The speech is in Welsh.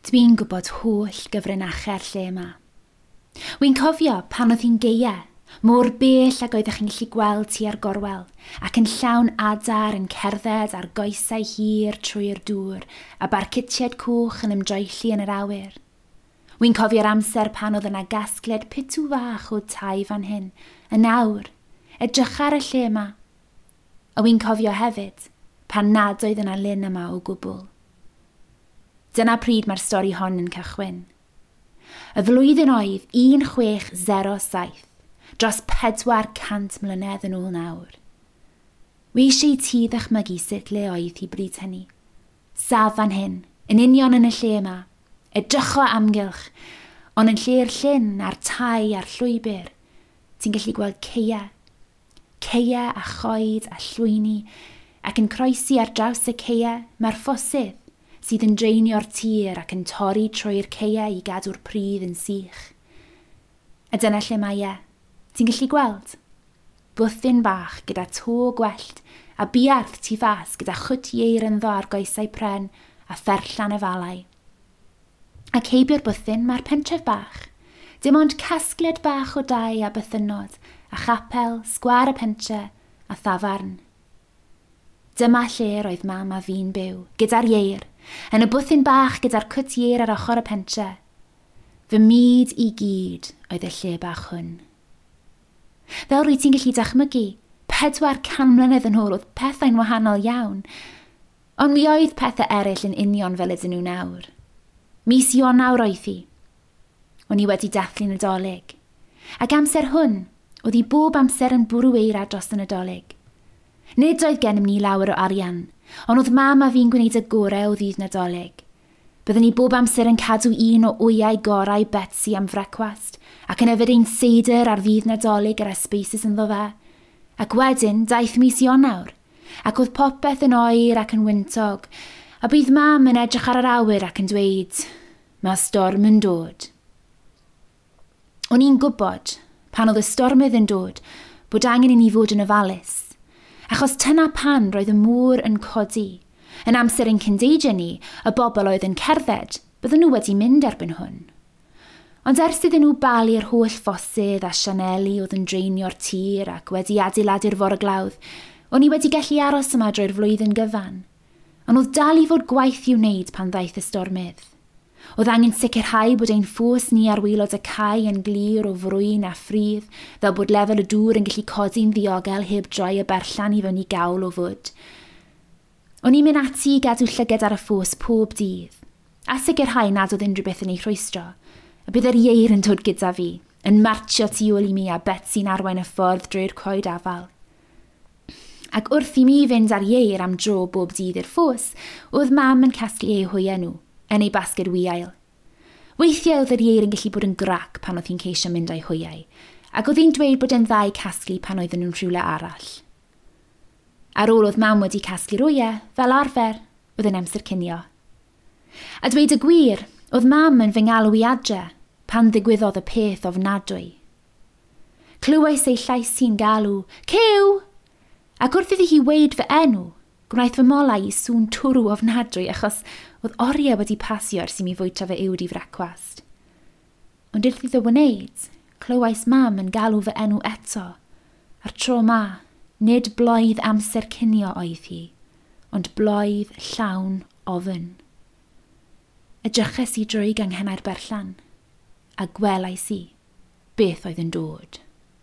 Dwi'n gwybod holl gyfrinachau'r lle yma. Wi'n cofio pan oedd hi'n geia, mor bell ag oeddech chi'n gallu gweld tua'r gorwel, ac yn llawn adar yn cerdded ar goesau hir trwy'r dŵr a barcutiaid coch yn ymdroelli yn yr awyr. Wi'n cofio'r amser pan oedd yna gasgliad pitw fach o tai fan hyn, yn awr, edrych ar y lle yma. A wi'n cofio hefyd pan nad oedd yna lyn yma o gwbl. Dyna pryd mae'r stori hon yn cychwyn. Y flwyddyn oedd 1607, dros 400 mlynedd yn ôl nawr. Wi eisiau i ti ddychmygu sut le oedd hi bryd hynny. Saf fan hyn, yn union yn y lle yma, edrycho amgylch, ond yn lle'r llyn a'r tai a'r llwybr, ti'n gallu gweld ceia. Ceia a choed a llwyni, ac yn croesi ar draws y ceia mae'r ffosydd sydd yn dreinio'r tir ac yn torri trwy'r ceia i gadw'r pridd yn sych. A dyna lle mae e. Ti'n gallu gweld? Bwthyn bach gyda to gwellt a buarth tu fas gyda chwt ieir ynddo ar goesau pren a pherllan efalau. Ac heibio'r bwthyn mae'r pentref bach. Dim ond casgliad bach o dai a bythynnod, a chapel, sgwâr y pentre a thafarn. Dyma lle roedd mam a fi'n byw, gyda'r ieir, yn y bwthyn bach gyda'r cwt ieir ar ochr y pentre. Fy myd i gyd oedd y lle bach hwn. Fel rwy ti'n gallu dychmygu, 400 mlynedd yn ôl oedd pethau'n wahanol iawn, ond mi oedd pethau eraill yn union fel ydyn nhw nawr. Mis Ionawr oedd hi. O'n i wedi dathlu Nadolig. Ac amser hwn, oedd hi bob amser yn bwrw eira dros y Nadolig. Nid oedd gennym ni lawer o arian, ond oedd mam a fi'n gwneud y gorau o ddydd Nadolig. Byddwn ni bob amser yn cadw un o wyau gorau Betsy am frecwast, ac yn yfed ein seidr ar ddydd Nadolig gyda spices ynddo fe. Ac wedyn daeth mis Ionawr, ac oedd popeth yn oer ac yn wyntog, a bydd mam yn edrych ar yr awyr ac yn dweud, mae storm yn dod. O'n i'n gwybod, pan oedd y stormydd yn dod, bod angen i ni fod yn ofalus. Achos tyna pan roedd y môr yn codi. Yn amser ein cyndeidiau ni, y bobl oedd yn cerdded, bydden nhw wedi mynd erbyn hwn. Ond ers iddyn nhw balu'r holl ffosydd a sianeli oedd yn dreinio'r tir ac wedi adeiladu'r forglawdd, o'n i wedi gallu aros yma drwy'r flwyddyn gyfan. Ond oedd dal i fod gwaith i'w wneud pan ddaeth y stormydd. Oedd angen sicrhau bod ein ffos ni ar waelod y cae yn glir o frwyn a ffridd, fel bod lefel y dŵr yn gallu codi'n ddiogel heb droi y berllan i fewn i gawl o fwd. O'n i'n mynd ati i gadw llygad ar y ffos pob dydd, a sicrhau nad oedd unrhyw beth yn ei rhwystro, a bydd yr ieir yn dod gyda fi, yn martio tu ôl i mi a Betsy'n arwain y ffordd drwy'r coed afal. Ac wrth i mi fynd ar ieir am dro bob dydd i'r ffos, oedd mam yn casglu eu hwyau nhw, yn ei basged wiail. Weithiau oedd yr ieir yn gallu bod yn grac pan oedd hi'n ceisio mynd â'i hwyau, ac oedd hi'n dweud bod e'n dda i casglu pan oedden nhw'n rhywle arall. Ar ôl oedd mam wedi casglu'r wyau, fel arfer, oedd yn amser cinio. A dweud y gwir, oedd mam yn fy ngalw i adre pan ddigwyddodd y peth ofnadwy. Clywais ei llais hi'n galw, Cyw! Ac wrth iddi hi weud fy enw, gwnaeth fy molau i sŵn twrw ofnadwy achos oedd oriau wedi pasio ers i mi fwyta fy uwd i frecwast. Ond wrth iddo wneud, clywais mam yn galw fy enw eto. A'r tro ma, nid bloedd amser cinio oedd hi, ond bloedd llawn ofn. Edryches i drwy ganghennau'r berllan, a gwelais i beth oedd yn dod.